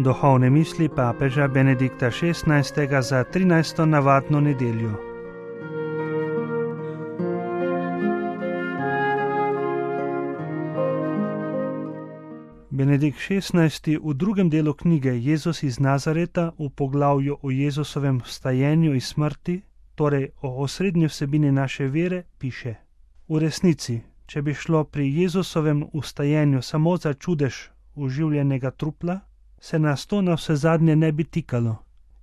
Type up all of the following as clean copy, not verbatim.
Duhovne misli papeža Benedikta XVI. Za 13. navadno nedeljo. Benedikt XVI. V drugem delu knjige Jezus iz Nazareta v poglavju o Jezusovem vstajenju iz smrti, torej o osrednji vsebini naše vere, piše: V resnici, če bi šlo pri Jezusovem vstajenju samo za čudež oživljenega trupla, se nas to navsezadnje ne bi tikalo.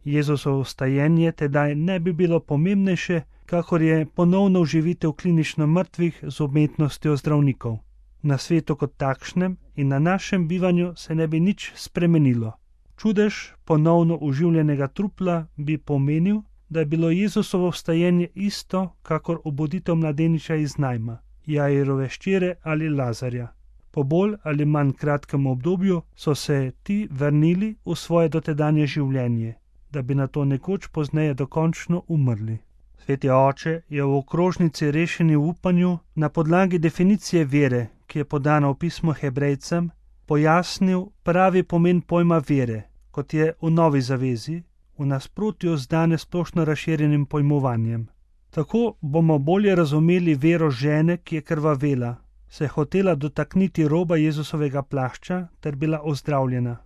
Jezusovo vstajenje tedaj ne bi bilo pomembnejše, kakor je ponovno oživitev klinično mrtvih z umetnostjo zdravnikov. Na svetu kot takšnem in na našem bivanju se ne bi nič spremenilo. Čudež ponovno oživljenega trupla bi pomenil, da je bilo Jezusovo vstajenje isto, kakor obuditev mladeniča iz Najma, Jairove hčere ali Lazarja. Po bolj ali manj kratkem obdobju so se ti vrnili v svoje dotedanje življenje, da bi nato nekoč pozneje dokončno umrli. Sveti oče je v okrožnici Rešeni v upanju na podlagi definicije vere, ki je podana v pismu Hebrejcem, pojasnil pravi pomen pojma vere, kot je v Novi zavezi, v nasprotju z danes splošno razširjenim pojmovanjem. Tako bomo bolje razumeli vero žene, ki je krvavela, se je hotela dotakniti roba Jezusovega plašča ter bila ozdravljena.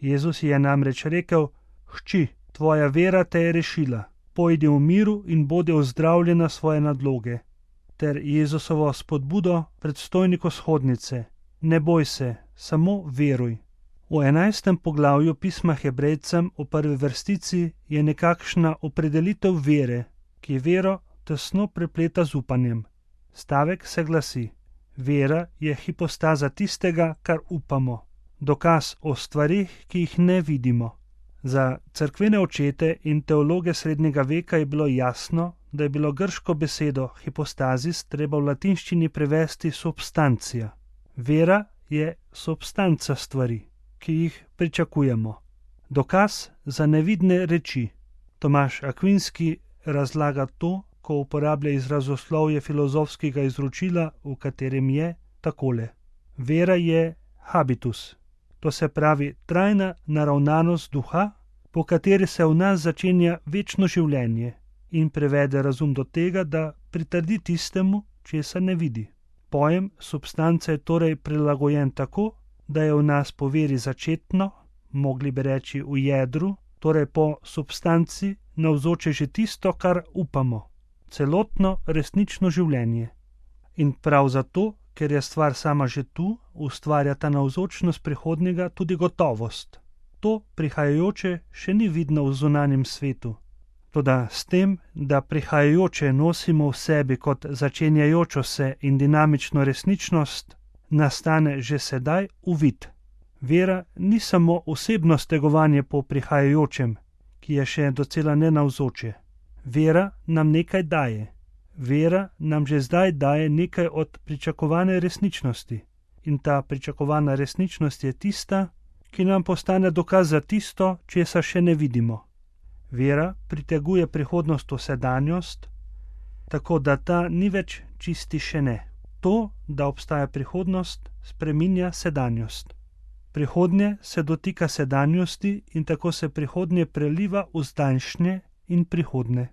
Jezus je namreč rekel: Hči, tvoja vera te je rešila, pojdi v miru in bodi ozdravljena svoje nadloge. Ter Jezusovo spodbudo predstojniku shodnice: Ne boj se, samo veruj. V 11. poglavju pisma Hebrejcem v prvi vrstici je nekakšna opredelitev vere, ki vero tesno prepleta z upanjem. Stavek se glasi: Vera je hipostaza tistega, kar upamo, dokaz o stvarih, ki jih ne vidimo. Za cerkvene očete in teologe srednjega veka je bilo jasno, da je bilo grško besedo hipostazis treba v latinščini prevesti substancija. Vera je substanca stvari, ki jih pričakujemo. Dokaz za nevidne reči. Tomaž Akvinski razlaga to, ko uporablja izrazoslovje filozofskega izročila, v katerem je takole: Vera je habitus, to se pravi trajna naravnanost duha, po kateri se v nas začenja večno življenje in prevede razum do tega, da pritrdi tistemu, česar ne vidi. Pojem substance je torej prilagojen tako, da je v nas po veri začetno, mogli bi reči v jedru, torej po substanci navzoče že tisto, kar upamo, celotno resnično življenje. In prav zato, ker je stvar sama že tu, ustvarja ta navzočnost prihodnjega tudi gotovost. To prihajajoče še ni vidno v zunanjem svetu. Toda s tem, da prihajajoče nosimo v sebi kot začenjajočo se in dinamično resničnost, nastane že sedaj uvid. Vera ni samo osebno stegovanje po prihajajočem, ki je še docela nenavzoče. Vera nam nekaj daje. Vera nam že zdaj daje nekaj od pričakovane resničnosti. In ta pričakovana resničnost je tista, ki nam postane dokaz za tisto, česar še ne vidimo. Vera priteguje prihodnost v sedanjost, tako da ta ni več čisti še ne. To, da obstaja prihodnost, spreminja sedanjost. Prihodnje se dotika sedanjosti in tako se prihodnje preliva v zdajšnje in prihodnje.